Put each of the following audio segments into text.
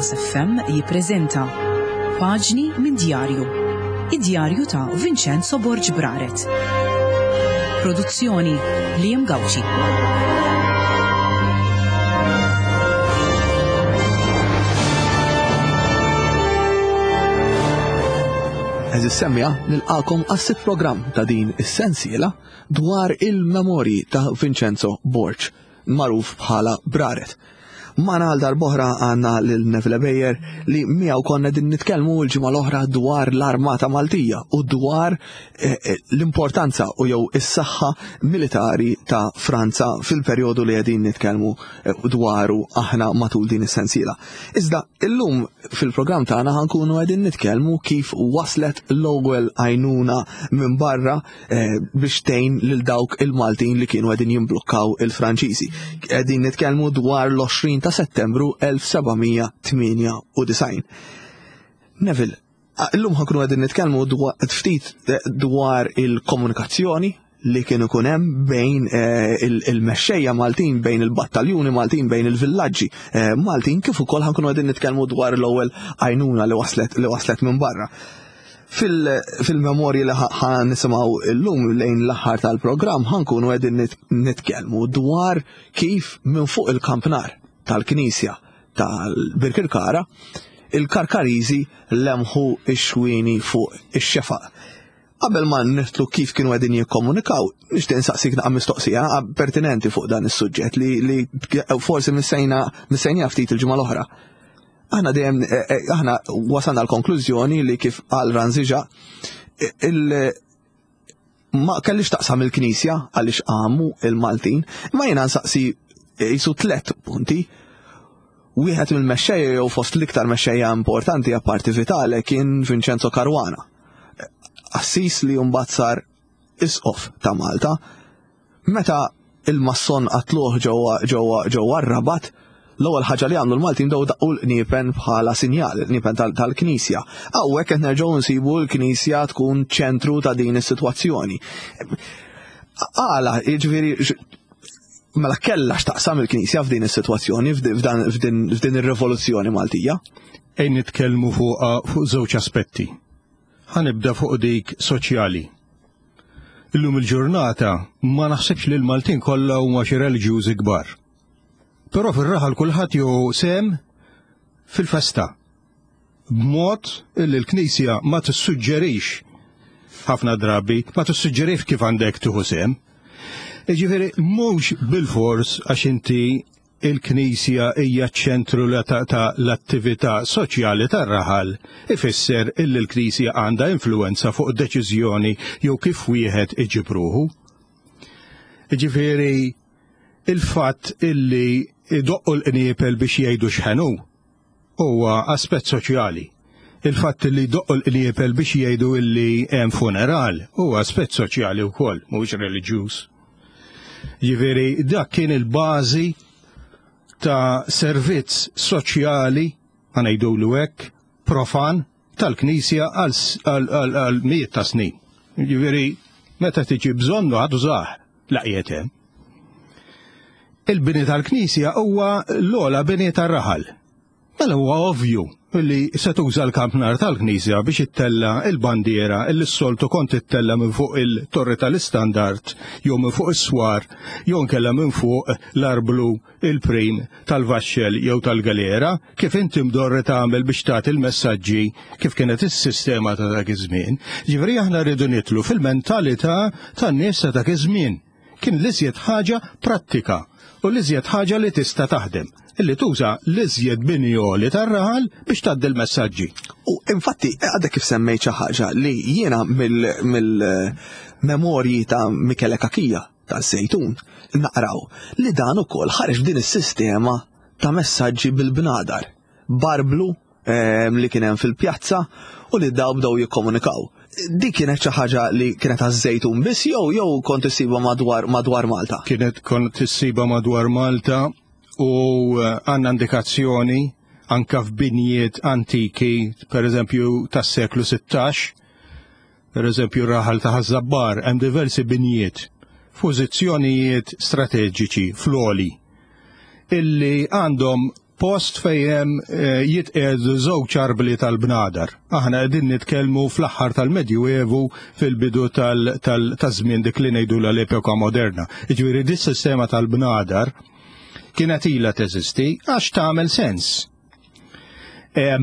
Veritas FM jippreżenta Paġni minn Djarju. Id-djarju ta' Vincenzo Borg Braret. Produzzjoni Liam Gauci. Eżis semmija nilqakom għas-sitt programm ta' din is-sensiela dwar il-memorji ta' Vincenzo Borg, magħruf bħala Braret. Magħna għal darb'oħra għandna lil Neville Bejer li miegħu konna din nitkellmu l-ġimgħa l-oħra dwar l-Armata Maltija u dwar eh, eh, l-importanza u jew is-saħħa militari ta' Franza fil-perjodu li qegħdin nitkellmu eh, dwaru aħna matul din is-sensiela. Iżda illum fil-programm tagħna ħankunu qegħdin nitkellmu kif waslet l-ewwel għajnuna minn barra Eh, biex tgħin lil dawk il-Maltin li kienu qegħdin jimblukkaw il-Franċiżi. Qegħdin nitkellmu dwar l-20 ta' Settembru 1798. Neville, illum ħankunu qegħdin nitkellmu ftit eh, dwar il-komunikazzjoni li kien ikun hemm bejn eh, il-mexxejja Maltin, bejn il-battaljuni Maltin, bejn il-villaġġi Maltin, kif ukoll ħankunu qegħdin nitkellmu dwar l-ewwel għajnuna li waslet li waslet minn barra. Fil-memorji li ħa nisimgħu illum lejn l-aħħar tal-programm ħankunu qegħdin nitkellmu dwar kif minn fuq il-kampnar tal-Knisja tal-Birkirkara il-Karkariżi lemħu x-xwieni fuq ix-xefaq. Qabel ma nitlu kif kienu qegħdin jikkomunikaw, nixtieq insaqsik naqa' mistoqsija pertinenti fuq dan is-suġġett li, li forsi missejna missejnija ftit il-ġimgħa l-oħra. Aħna dejjem eh, eh, aħna wasalna l-konklużjoni li kif qal Ranziġa il ma kellix taqsam il-Knisja għaliex qamu il-Maltin, ma jiena nsaqsi jisu tlet punti. Wieħed mill-mexxejja jew fost l-iktar mexxejja importanti apparti Vitale kien Vincenzo Caruana. Assis li mbagħad sar isqof ta' Malta. Meta il-masson qatluh ġewwa ġewwa ġewwa r-Rabat, l-ewwel ħaġa li għamlu l-Maltin bdew daqqu l-qniepen bħala sinjal, il-qniepen tal-Knisja. Hawnhekk qed nerġgħu nsibu l-Knisja tkun ċentru ta' din is-sitwazzjoni. Għala, jiġifieri mela kellha x'taqsam il-Knisja f'din is-sitwazzjoni, f'din ir-rivoluzzjoni Maltija? Ejn nitkellmu fuq fuq żewġ aspetti. Ħa nibda fuq dik soċjali. Illum il-ġurnata ma naħsibx li l-Maltin kollha huma xi reliġjużi kbar. Però fir-raħal kulħadd jew sem fil-festa. B'mod illi l-Knisja ma tissuġġerix ħafna drabi, ma tissuġġerix kif għandek tieħu sem. Jiġifieri mhux bil-fors għax inti il-Knisja hija ċ-ċentru ta' l-attività soċjali tar-raħal ifisser illi l-Knisja għandha influwenza fuq deċiżjoni jew kif wieħed iġib ruħu. Jiġifieri il-fatt illi idoqqu l-qniepel biex jgħidu x'ħenu huwa aspett soċjali. Il-fatt li jdoqqu l-qniepel biex jgħidu illi hemm funeral huwa aspett soċjali wkoll, mhuwiex reliġjuż. Jiġifieri dak kien il-bażi ta' servizz soċjali, ħa ngħidulu hekk, profan tal-Knisja għal mijiet ta' snin. Jiġifieri meta tiġi bżonnu ħa tużah la qiegħed hemm. Il-bini tal-Knisja huwa l-ogħla bini tar-raħal. Mela huwa ovvju li se tuża l-kampnar tal-Knisja biex ittella il-bandiera illi s-soltu kont ittella minn fuq il-torri tal-istandard jew minn fuq is-swar jew nkella minn fuq l-arblu il-prim tal-vaxxel jew tal-galera kif inti mdorri tagħmel biex tagħti l-messaġġi kif kienet is-sistema ta' dak iż-żmien. Ġifieri aħna rridu nitlu fil-mentalità tan-nies ta' dak iż-żmien. Kien l-iżjed ħaġa prattika u l-iżjed ħaġa li tista' taħdem, illi tuża l-iżjed bini għoli tar-raħal biex tgħaddi l-messaġġi. U infatti għadek kif semmejt xi ħaġa li jiena mill-memorji ta' Michele Cachia taż-Żejtun naqraw li dan ukoll ħareġ b'din is-sistema ta' messaġġi bil-bnadar. Barblu Ehm, li kien hemm fil-pjazza u li daw bdew jikkomunikaw. Dik kienet xi ħaġa li kienet għaż-Żejtun biss jew jew kont issibha madwar madwar Malta? Kienet kont issibha madwar Malta u eh, għandna indikazzjoni anka f'binjiet antiki, per eżempju tas-seklu 16, per eżempju raħal ta' Ħaż-Żabbar, hemm diversi binjiet f'pożizzjonijiet strateġiċi fl-għoli illi għandhom post fejn hemm eh, jitqiegħdu żewġ arbli tal-bnadar. Aħna qegħdin nitkellmu fl-aħħar tal-Medjuevu fil-bidu taż-żmien dik li ngħidu l-epoka moderna. Jiġifieri dis-sistema tal-bnadar kienet ilha teżisti għax tagħmel sens. Eh,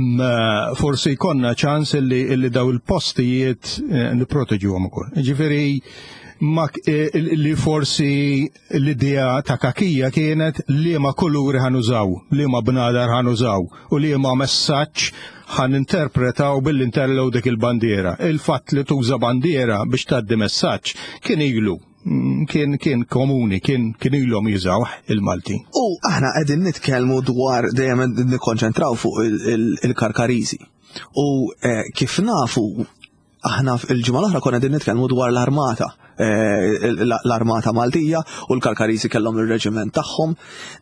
forsi jkollna ċans illi, illi daw il-postijiet eh, niproteġuhom ukoll. Ġifieri eh, li forsi l-idea ta' kakija kienet li ma kuluri ħanużaw, li ma bnadar ħanużaw u li ma messaġġ ħan interpretaw billi interlew dik il-bandiera. Il-fatt li tuża bandiera biex tgħaddi messaġġ kien ilu kien kien komuni, kien kien ilhom jużawh il-Malti. U aħna qegħdin nitkellmu dwar dejjem nikkonċentraw fuq il-Karkariżi. U eh, kif nafu aħna il-ġimgħa l-oħra konna qegħdin nitkellmu dwar l-armata eh, l-armata Maltija u l-Karkariżi kellhom ir-reġiment tagħhom.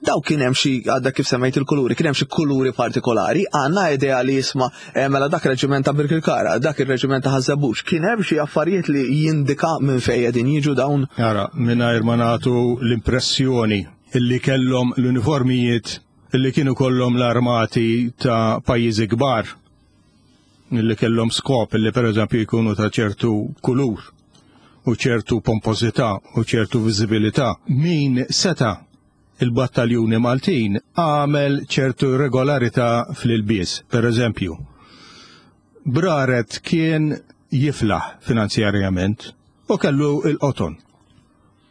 Daw kien hemm xi għadda kif semmejt il-kuluri, kien hemm xi kuluri partikolari, għandna idea li jisma' eh, mela dak reġiment ta' Birkirkara, dak ir-reġiment ta' Ħaż-Żebbuġ, kien hemm xi affarijiet li jindika minn fejn qegħdin jiġu dawn? Ara, mingħajr ma nagħtu l-impressjoni illi kellhom l-uniformijiet illi kienu kollhom l-armati ta' pajjiżi kbar illi kellhom skop illi pereżempju jkunu ta' ċertu kulur u ċertu pompożità u ċertu viżibilità. Min seta' il-battaljuni Maltin għamel ċertu regolarità fl-ilbies. Per eżempju, Braret kien jiflaħ finanzjarjament u kellu il-qoton.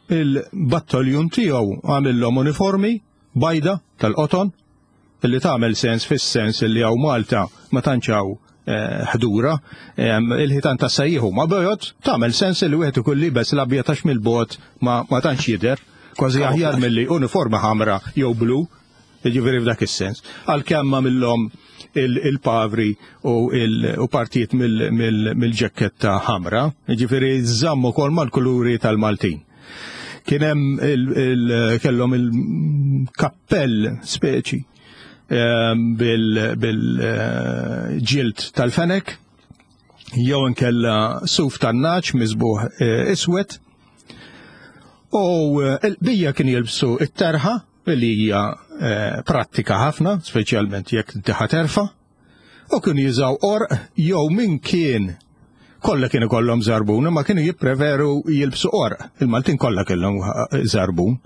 Il-battaljun tiegħu għamillhom uniformi bajda tal-qoton li tagħmel sens fis-sens li hawn Malta ma tantx hawn eh, ħdura, il-ħitan ta' sejjiħu ma bojod, tagħmel sens li wieħed ikun libes l-abjad għax mill-bogħod ma, ma tantx jidher, kważi aħjar milli uniformi ħamra jew blu, jiġifieri f'dak is-sens. Għalkemm għamilhom il-pavri u partijiet mill-ġekketta ħamra, jiġifieri żammu kol mal-kuluri tal-Maltin. Kien hemm kellhom il-kappell speċi ehm, bil-ġild tal-fenek jew inkella suf tan-naċ miżbuħ eh, iswed. U eh, il-bija kien jilbsu it-terħa li hija eh, prattika ħafna, speċjalment jekk inti terfa. U kienu jużaw qorq jew min kien kollha kienu kollhom żarbun, imma kienu jippreferu jilbsu qorq. Il-Maltin kollha kellhom żarbun,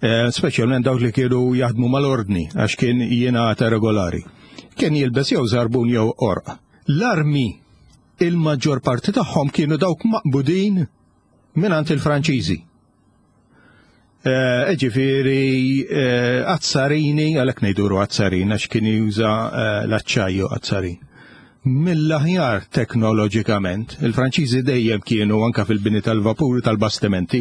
eh, speċjalment dawk li kienu jaħdmu mal-ordni għax kien jingħata regolari. Kien jilbes jew żarbun jew qorq. L-armi il-maġġor parti tagħhom kienu dawk maqbudin mingħand il-Franċiżi. Eh, ġifiri, eh, azzarini, għalek nejduru azzarin, għax kien juża eh, l-aċċajju azzarin. Mill-aħjar teknoloġikament, il-Franċiżi dejjem kienu anka fil-bini tal-vapuri tal-bastimenti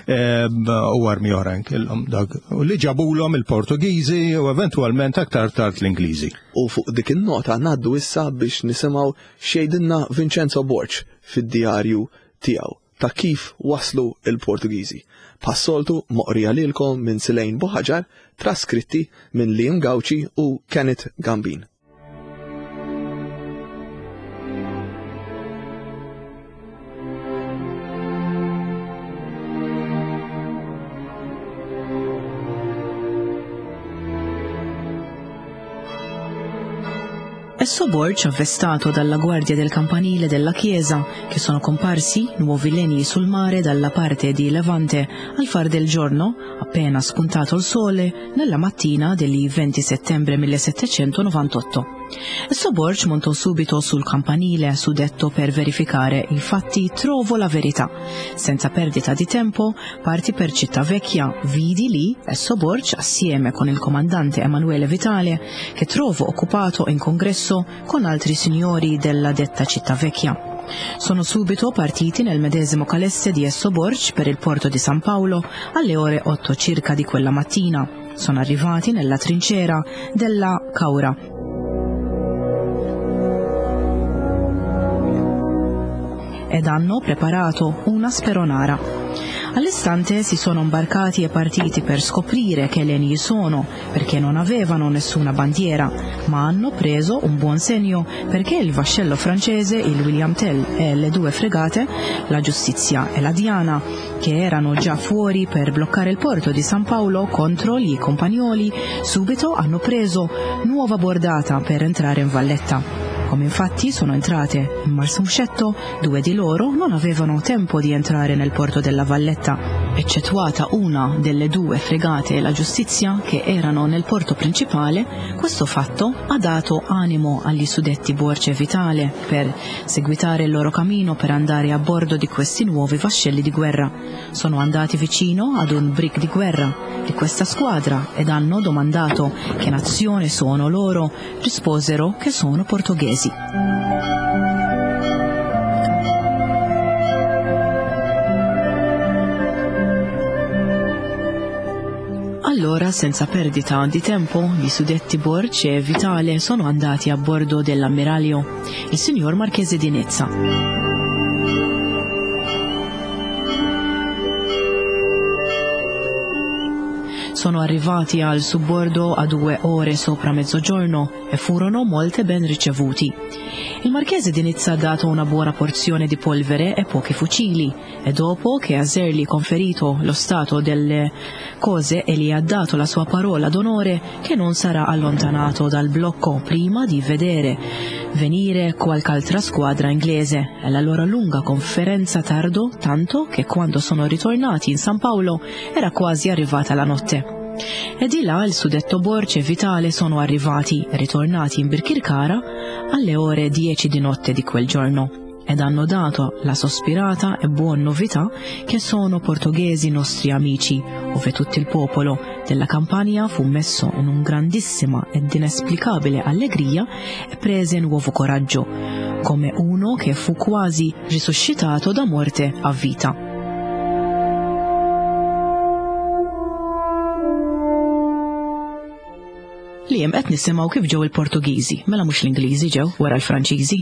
u armi oħrajn kellhom dak. U li ġabulhom il-Portugiżi u eventwalment aktar tard l-Ingliżi. U fuq dik in-nota ngħaddu issa biex nisimgħu x'jgħidilna Vincenzo Borg fid-djarju tiegħu. ta' kif waslu l-Portugiżi. Bħas-soltu moqrija lilkom minn Silejn Buħaġar, traskritti minn Liam Gauci u Kenneth Gambin. Esso Borg, avvestato dalla guardia del campanile della chiesa, che sono comparsi nuovi legni sul mare dalla parte di Levante al far del giorno, appena spuntato il sole, nella mattina del 20 settembre 1798. Esso Borg montò subito sul campanile suddetto per verificare i fatti trovo la verità. Senza perdita di tempo, parti per Città Vecchia, vidi lì Esso Borg assieme con il comandante Emanuele Vitale, che trovo occupato in congresso con altri signori della detta Città Vecchia. Sono subito partiti nel medesimo calesse di Esso Borg per il porto di San Paolo alle ore 8 circa di quella mattina. Sono arrivati nella trincera della Caura. Ed hanno preparato una speronara. All'istante si sono imbarcati e partiti per scoprire che legni sono, perché non avevano nessuna bandiera, ma hanno preso un buon segno perché il vascello francese, il William Tell e le due fregate, la Giustizia e la Diana, che erano già fuori per bloccare il porto di San Paolo contro gli compagnoli, subito hanno preso nuova bordata per entrare in Valletta. Come infatti sono entrate in Marsumscetto, due di loro non avevano tempo di entrare nel porto della Valletta, eccettuata una delle due fregate e la giustizia che erano nel porto principale, questo fatto ha dato animo agli suddetti Borce e Vitale per seguitare il loro cammino per andare a bordo di questi nuovi vascelli di guerra. Sono andati vicino ad un brick di guerra di questa squadra ed hanno domandato che nazione sono loro, risposero che sono portoghesi. Allora, senza perdita di tempo, gli suddetti Borch e Vitale sono andati a bordo dell'ammiraglio, il signor Marchese di Nizza. Sono arrivati al subbordo a due ore sopra mezzogiorno e furono molte ben ricevuti. Il marchese di Nizza ha dato una buona porzione di polvere e pochi fucili e dopo che Aserli conferito lo stato delle cose e gli ha dato la sua parola d'onore che non sarà allontanato dal blocco prima di vedere venire qualche altra squadra inglese e la loro lunga conferenza tardò tanto che quando sono ritornati in San Paolo era quasi arrivata la notte. E di là il suddetto Borce e Vitale sono arrivati, ritornati in Birkirkara, alle ore 10 di notte di quel giorno ed hanno dato la sospirata e buona novità che sono portoghesi nostri amici, ove tutto il popolo della Campania fu messo in un grandissima ed inesplicabile allegria e prese nuovo coraggio, come uno che fu quasi risuscitato da morte a vita. Li hemm qed nisimgħu kif ġew il-Portugiżi, mela mhux l-Ingliżi ġew wara l-Franċiżi.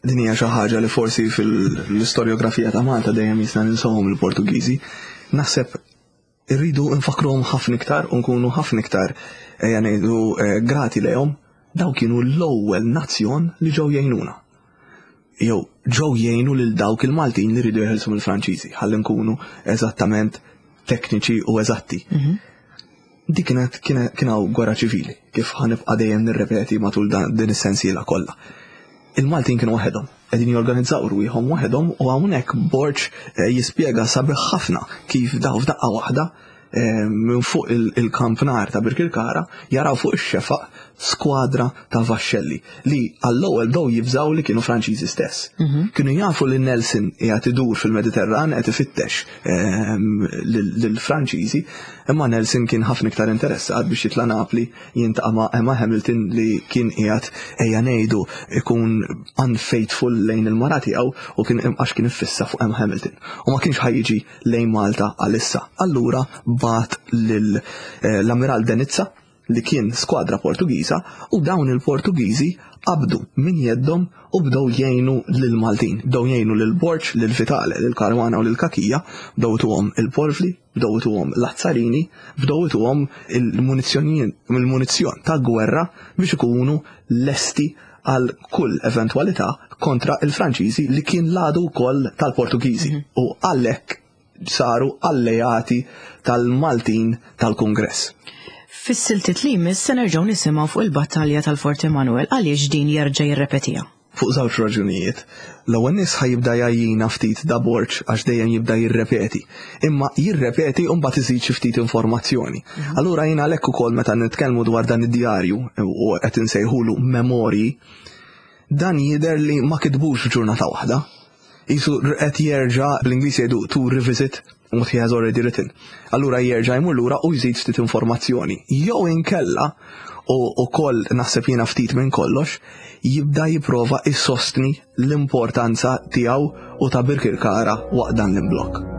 Din hija xi ħaġa li forsi fil-istorjografija ta' Malta dejjem jisna ninsawhom il-Portugiżi. Naħseb irridu nfakruhom ħafna iktar u nkunu ħafna iktar ejja ngħidu eh, grati lejhom. Daw kienu l-ewwel nazzjon li ġew jgħinuna. Jew ġew jgħinu lil dawk il-Maltin li rridu jeħilsu mill-Franċiżi, ħalli nkunu eżattament tekniċi u eżatti. Mhm. Dik kienet kien hawn gwerra ċivili, kif ħanibqa' dejjem nirrepeti matul din is-sensiela kollha. Il-Maltin kienu waħedhom, qegħdin jorganizzaw rwieħhom waħedhom u hawnhekk Borg eh, jispjega sabiħ ħafna kif daw f'daqqa waħda eh, minn fuq il-kampnar ta' Birkirkara jaraw fuq ix-xefaq skwadra ta' vaxxelli li għall-ewwel bdew jibżgħu li kienu Franċiżi stess. Mhm. Kienu jafu li Nelson qiegħed idur fil-Mediterran qed ifittex ehm, lill-Franċiżi, imma Nelson kien ħafna iktar interessat biex jitla' Napli jintaqa' ma' Emma Hamilton li kien qiegħed ejja ngħidu ikun unfaithful lejn il-mara tiegħu u kien għax kien iffissa fuq Emma Hamilton. U ma kienx ħajjiġi lejn Malta għalissa. Allura bat lil eh, l-Ammiral Denizza li kien skwadra Portugiża u dawn il-Portugiżi qabdu minn jeddhom u bdew jgħinu lill-Maltin, bdew jgħinu lil Borg, lil Vitale, lil Caruana u lil Cachia, bdew ituhom il-porvli, bdew ituhom l-azzarini, bdew ituhom il-munizzjon ta' gwerra biex ikunu lesti għal kull eventwalità kontra il-Franċiżi li kien l-għadu wkoll tal-Portugiżi mhm. u għalhekk saru alleati tal-Maltin tal-Kungress. Fis-siltiet li jmiss se nerġgħu nisimgħu fuq il-battalja tal-Fort Emanuel għaliex din jerġa' jirrepetiha. Fuq żewġ raġunijiet. L-ewwel nies ħa jibda jgħajjina ftit da Borg għax dejjem jibda jirrepeti. Imma jirrepeti u mbagħad iżid xi ftit informazzjoni. Mhm. Allura jien għalhekk ukoll meta nitkellmu dwar dan id-djarju u qed insejħulu memorji, dan jidher li ma kitbux f'ġurnata waħda. Qisu qed jerġa' bl-Ingliż jgħidu to revisit what he has already written. Allura jerġa' jmur lura u jżid ftit informazzjoni. Jew inkella u wkoll naħseb jiena ftit minn kollox, jibda jipprova jsostni l-importanza tiegħu u ta' Birkirkara waqt dan l-imblokk.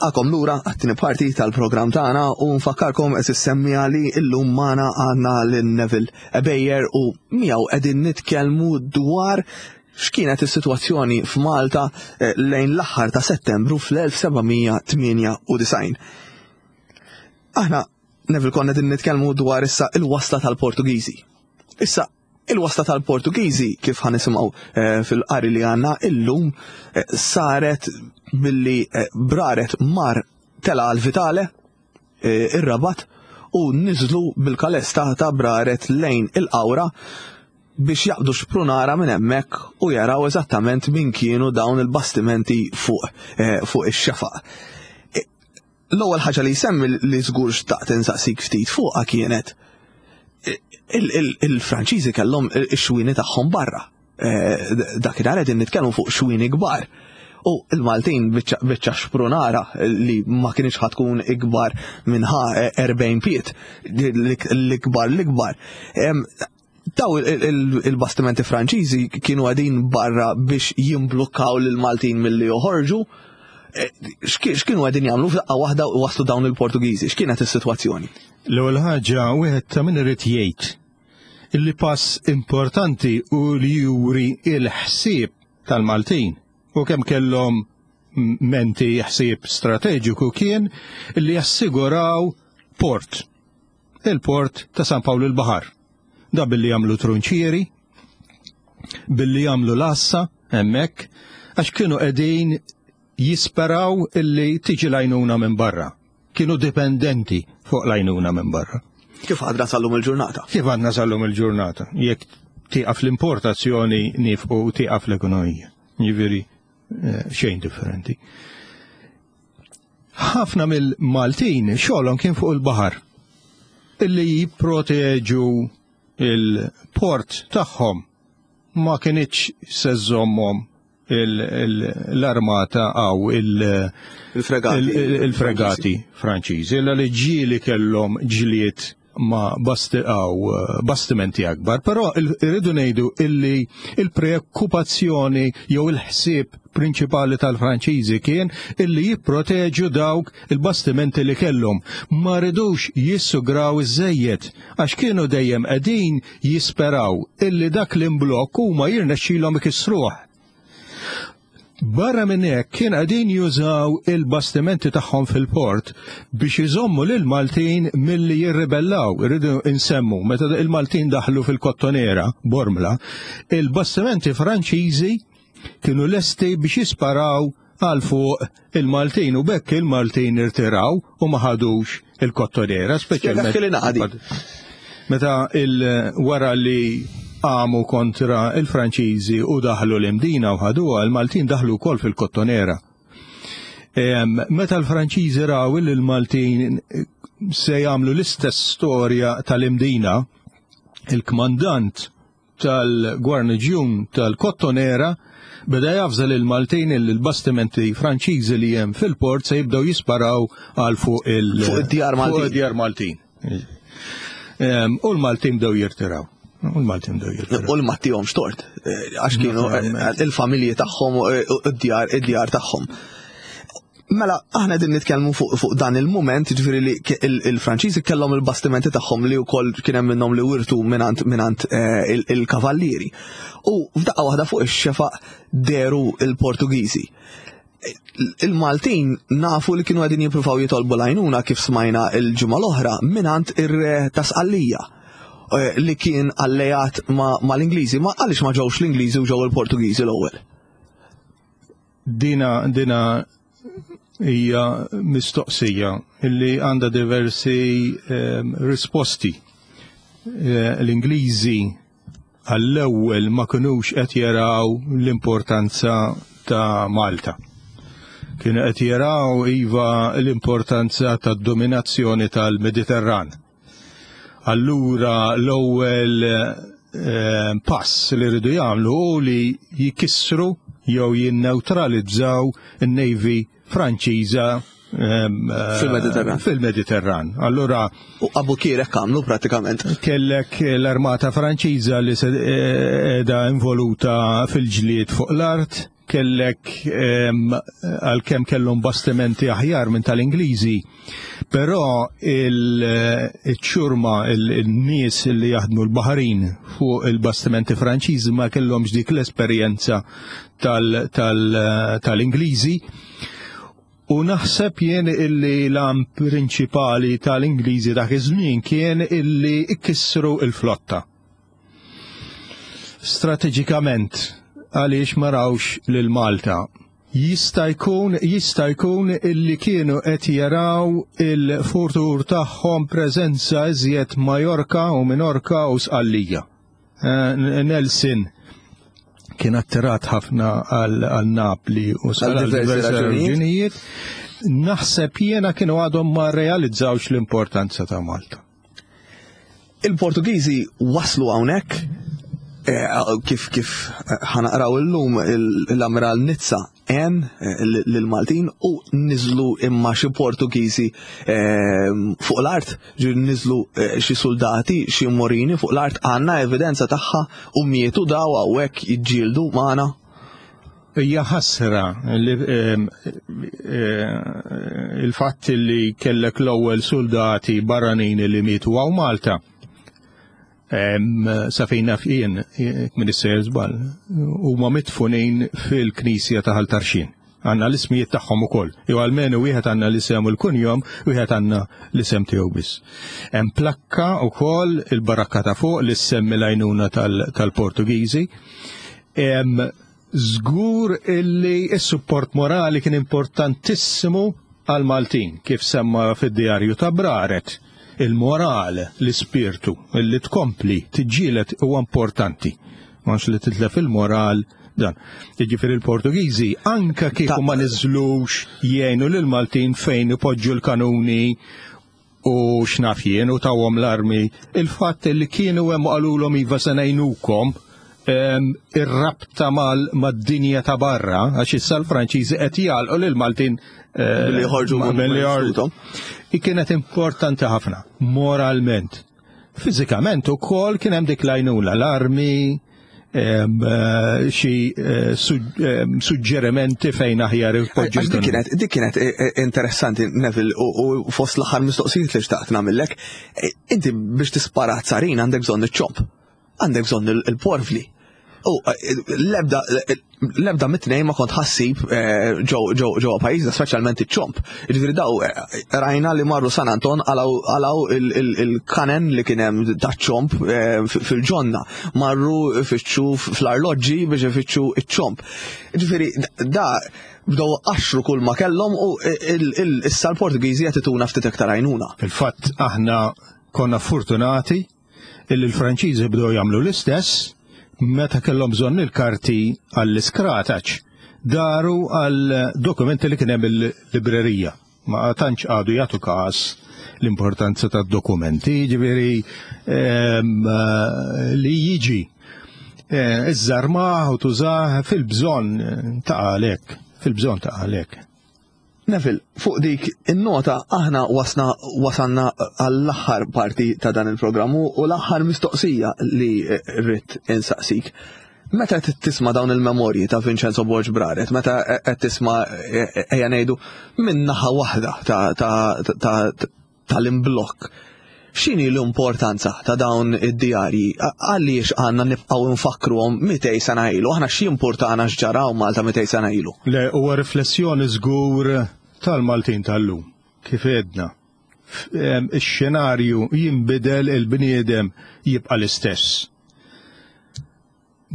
Nilqakom lura għat-tieni parti tal-programm tagħna u nfakkarkom qed issemmija li llum magħna għandna lil Neville Ebejer u miegħu qegħdin nitkellmu dwar x'kienet is-sitwazzjoni f'Malta eh, lejn l-aħħar ta' Settembru fl-1798. Aħna Neville konna qegħdin nitkellmu dwar issa il-wasla tal-Portugiżi. Issa Il-wasla tal-Portugiżi, kif ħa nisimgħu eh, fil-qari li għandna illum, eh, saret billi eh, braret mar tela għal Vitale, ir-Rabat, u niżlu bil-kales ta' braret lejn il-Qawra biex jaqbdu xprunara minn hemmhekk u jaraw eżattament min kienu dawn il-bastimenti fuq fuq ix-xefaq. L-ewwel ħaġa li jsemmi li żgur xtaqt insaqsik ftit fuqha kienet il-Franċiżi kellhom ix-xwieni tagħhom barra. Eh, dakinhar qegħdin nitkellmu fuq xwieni kbar. U il-Maltin biċċa xprunara li ma kienx ħatkun ikbar minn ħa 40 piet, l-ikbar l-ikbar. Daw il-bastimenti Franċiżi kienu għadin barra biex jimblukkaw lil Maltin milli joħorġu. E, x'kienu għadin jagħmlu f'daqqa waħda u waslu dawn il-Portugiżi? X'kienet is-sitwazzjoni? L-ewwel ħaġa wieħed ta' min irid jgħid illi pass importanti u li juri il-ħsieb tal-Maltin u kemm kellhom menti ħsieb strateġiku kien li jassiguraw port il-port ta' San Pawl il-Baħar. Da billi jagħmlu trunċieri, billi jagħmlu l-assa hemmhekk, għax kienu qegħdin jisperaw illi tiġi lajnuna minn barra. Kienu dipendenti fuq lajnuna minn barra. Kif għadna sallum il-ġurnata? Kif għadna sallum il-ġurnata? Jekk tieqaf l-importazzjoni nifqu tieqaf l-ekonomija. Jiġifieri eh, xejn differenti. Ħafna mill-Maltin xogħolhom kien fuq il-baħar illi jipproteġu il-port tagħhom ma kinitx se żżommhom l-armata għaw il-fregati Franċiżi, illa li ġieli kellhom ġlied ma' għaw bastimenti akbar, però irridu ngħidu illi il-preokkupazzjoni jew il-ħsieb prinċipali tal-Franċiżi kien illi jipproteġu dawk il-bastimenti li kellhom. Ma ridux jissugraw iż-żejjed għax kienu dejjem qegħdin jisperaw illi dak l-imblokk huma jirnexxilhom ikissruh. Barra minn hekk kien qegħdin jużaw il-bastimenti tagħhom fil-port biex iżommu lil Maltin milli jirribellaw. Irridu insemmu meta il-Maltin daħlu fil-Kottonera, Bormla, il-bastimenti Franċiżi kienu lesti biex jisparaw għal fuq il-Maltin u bekk il-Maltin irtiraw u ma ħadux il-Kottonera, speċjalment. Meta il wara li għamu kontra il-Franċiżi u daħlu l-Imdina u ħaduha, il-Maltin daħlu wkoll fil-Kottonera. Meta l-Franċiżi raw li l-Maltin se jagħmlu l-istess storja tal-Imdina, il-kmandant tal-gwarniġjun tal-Kottonera beda javża lil Maltin li l-bastimenti Franċiżi li hemm fil-port se jibdew jisparaw għal fuq il- fuq id-djar Maltin. Fuq id-djar Maltin. U l-Maltin bdew jirtiraw. U l-Maltin bdew jirtiraw. U l-Mattihom xtort, eh, għax kienu eh, il-familji tagħhom eh, id-djar id-djar tagħhom. Mela, aħna din nitkellmu fuq fu dan il-moment, ġifieri li il-Franċiżi kellhom il-bastimenti tagħhom li wkoll kien hemm minnhom li wirtu minant minant eh, il-kavallieri. U f'daqqa waħda fuq ix-xefaq deru il-Portugiżi. Il-Maltin nafu li kienu għedin jippruvaw jitolbu lajnuna kif smajna il-ġimgħa l-oħra minant ir-re ta' Sqallija eh, li kien alleat ma' l-Ingliżi. Ma għaliex ma ġewx l-Ingliżi u ġew il-Portugiżi l-ewwel? Dina dina hija mistoqsija illi għandha diversi eh, risposti. Eh, L-Ingliżi għall-ewwel ma kinux qed jaraw l-importanza ta' Malta. Kienu qed jaraw iva l-importanza tad-dominazzjoni tal-Mediterran. Allura l-ewwel eh, pass li rridu jagħmlu hu li jikissru jew jinneutralizzaw in-Navy Franċiża ehm, eh, fil-Mediterran. Fil-Mediterran. Allura u Abu Kirek għamlu pratikament. Kellek l-armata Franċiża li se qiegħda involuta fil-ġlied fuq l-art. Kellek għalkemm kellhom bastimenti aħjar minn tal-Ingliżi, però il-ċurma il-nies li jaħdmu l-baħarin fuq il-bastimenti Franċiżi ma kellhomx dik l-esperjenza tal-Ingliżi. U naħseb jien illi l-għan prinċipali tal-Ingliżi dak iż-żmien kien illi ikissru il-flotta. Strateġikament għaliex ma rawx lil Malta. Jista' jkun jista' jkun illi kienu qed jaraw il-futur tagħhom preżenza iżjed Majorka u Minorka u Sqallija. Eh, Nelson kien attirat ħafna għal Napli u għal diversi raġunijiet. Naħseb jiena kienu għadhom ma realizzawx l-importanza ta' Malta. Il-Portugiżi waslu hawnhekk eh, kif kif eh, ħanaqraw illum l-Amiral Nizza għen eh, lill-Maltin u niżlu imma xi Portugiżi fuq l-art, niżlu xi soldati, xi morini fuq l-art għandna evidenza tagħha u mietu daw hawnhekk jiġġieldu magħna. Hija ħasra li ehm, eh, il-fatt li kellek l-ewwel soldati barranin li mietu għaw Malta. Ehm, sa fejn naf jien, minn is-sejjer żball, huma mitfunin fil-knisja ta' Ħal Tarxien. Għandna l-ismijiet tagħhom ukoll. Jew almenu wieħed għandna l-isem u l-kunjom, wieħed għandna l-isem tiegħu biss. Hemm plakka wkoll il-barakka ta' fuq li semmi l-għajnuna tal-Portugiżi. Żgur illi s-support morali kien importantissimu għall-Maltin, kif semma fid-djarju ta' Braret, il-moral, l-ispirtu, illi tkompli tiġġieled huwa importanti. M'hawnx li titlef il-moral dan. Jiġifieri l-Portugiżi anke kieku ma niżlux jgħinu lill-Maltin fejn ipoġġu l-kanuni u x'naf jien u tawhom l-armi, il-fatt li kienu hemm qalulhom iva se ngħinukom ir-rabta mad-dinja ta' barra, għax issa l-Franċiżi qed jagħlqu lil Maltin eh, billi joħorġu billi joħorġu. Kienet importanti ħafna, moralment. Fiżikament ukoll kien hemm dik l-għajnuna, l-armi, Eh, xi eh, suġġerimenti fejn aħjar ipoġġu. Dik kienet dik kienet eh, interessanti Neville u fost l-aħħar mistoqsijiet li xtaqt nagħmellek. Inti biex tispara tsarin għandek bżonn iċ-ċomp, għandek bżonn il-porvli. U l-ebda l-ebda mit-tnejn ma kont ħassib eh, ġewwa pajjiżna, speċjalment iċ-ċomp. Jiġifieri daw eh, rajna li marru San Anton għalaw il-kanen li kien hemm taċ-ċomp eh, fil-ġonna, marru ifittxu fl-arloġġi biex ifittxu iċ-ċomp. Jiġifieri da bdew qaxxru kull ma kellhom u issa l-Portugiżi qed ituna ftit iktar għajnuna. Fil-fatt aħna konna fortunati illi l-Franċiżi bdew jagħmlu l-istess meta kellhom bżonn il-karti għall-iskrataċ. Daru għal dokumenti li kien hemm il-librerija. Ma tantx għadu jagħtu każ l-importanza tad-dokumenti, ġifieri ehm, li jiġi eh, iżżarmah u tużah fil-bżonn ta' għalek, fil-bżonn ta' għalek. Neville, fuq dik in-nota aħna wasna wasanna għall-aħħar parti ta' dan il-programm u l-aħħar mistoqsija li rrid insaqsik. Meta qed tisma' dawn il-memorji ta' Vincenzo Borg Braret, meta qed tisma' ejja ngħidu minn naħa waħda ta' tal-imblokk. X'inhi l-importanza ta' dawn id-djarji? Għaliex għandna nibqgħu nfakkruhom 200 sena ilu? Aħna x'jimpurtana x'ġara hawn Malta 200 sena ilu? Le, huwa riflessjoni żgur tal-Maltin tal-lum. Kif għedna, ix-xenarju jinbidel il-bniedem jibqa' l-istess.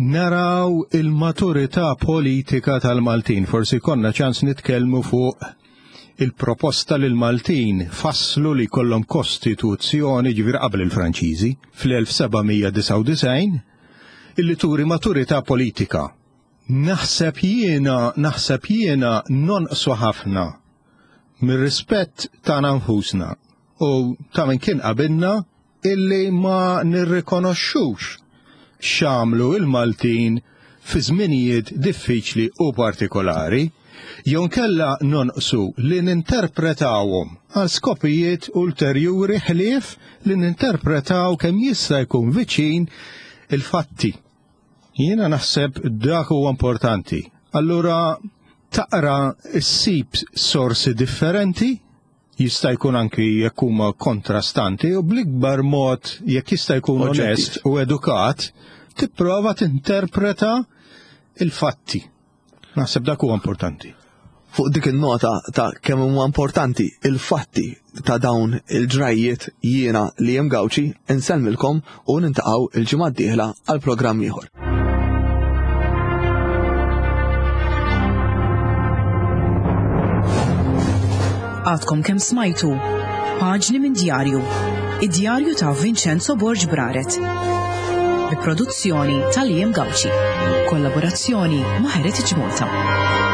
Naraw il-maturità politika tal-Maltin. Forsi jkollna ċans nitkellmu fuq il-proposta li l-Maltin fasslu li jkollhom kostituzzjoni ġifieri qabel il-Franċiżi fl-1799 illi turi maturità politika. Naħseb jiena, naħseb jiena nonqsu ħafna mir-rispett tagħna nfusna u ta' min kien qabilna illi ma nirrikonoxxux x'għamlu il-Maltin fi żminijiet diffiċli u partikolari, jew nkella nonqsu li ninterpretawhom għal skopijiet ulterjuri ħlief li ninterpretaw kemm jista' jkun viċin il-fatti. Jiena naħseb dak huwa importanti. Allura taqra ssib sorsi differenti, jista' jkun anki jekk huma kontrastanti u bl-ikbar mod jekk jista' jkun onest u edukat, tipprova tinterpreta il-fatti. Naħseb dak huwa importanti. Fuq dik in-nota ta' kemm huma importanti il-fatti ta' dawn il-ġrajjiet jiena li jem Gawċi insellmilkom u nintaqgħu il-ġimgħa d-dieħla għal programm ieħor. Għadkom kemm smajtu Paġni minn djarju, id-djarju ta' Vincenzo Borg Braret. Bi produzzjoni tal-Jem Gauci. Kollaborazzjoni ma' Heritage Malta.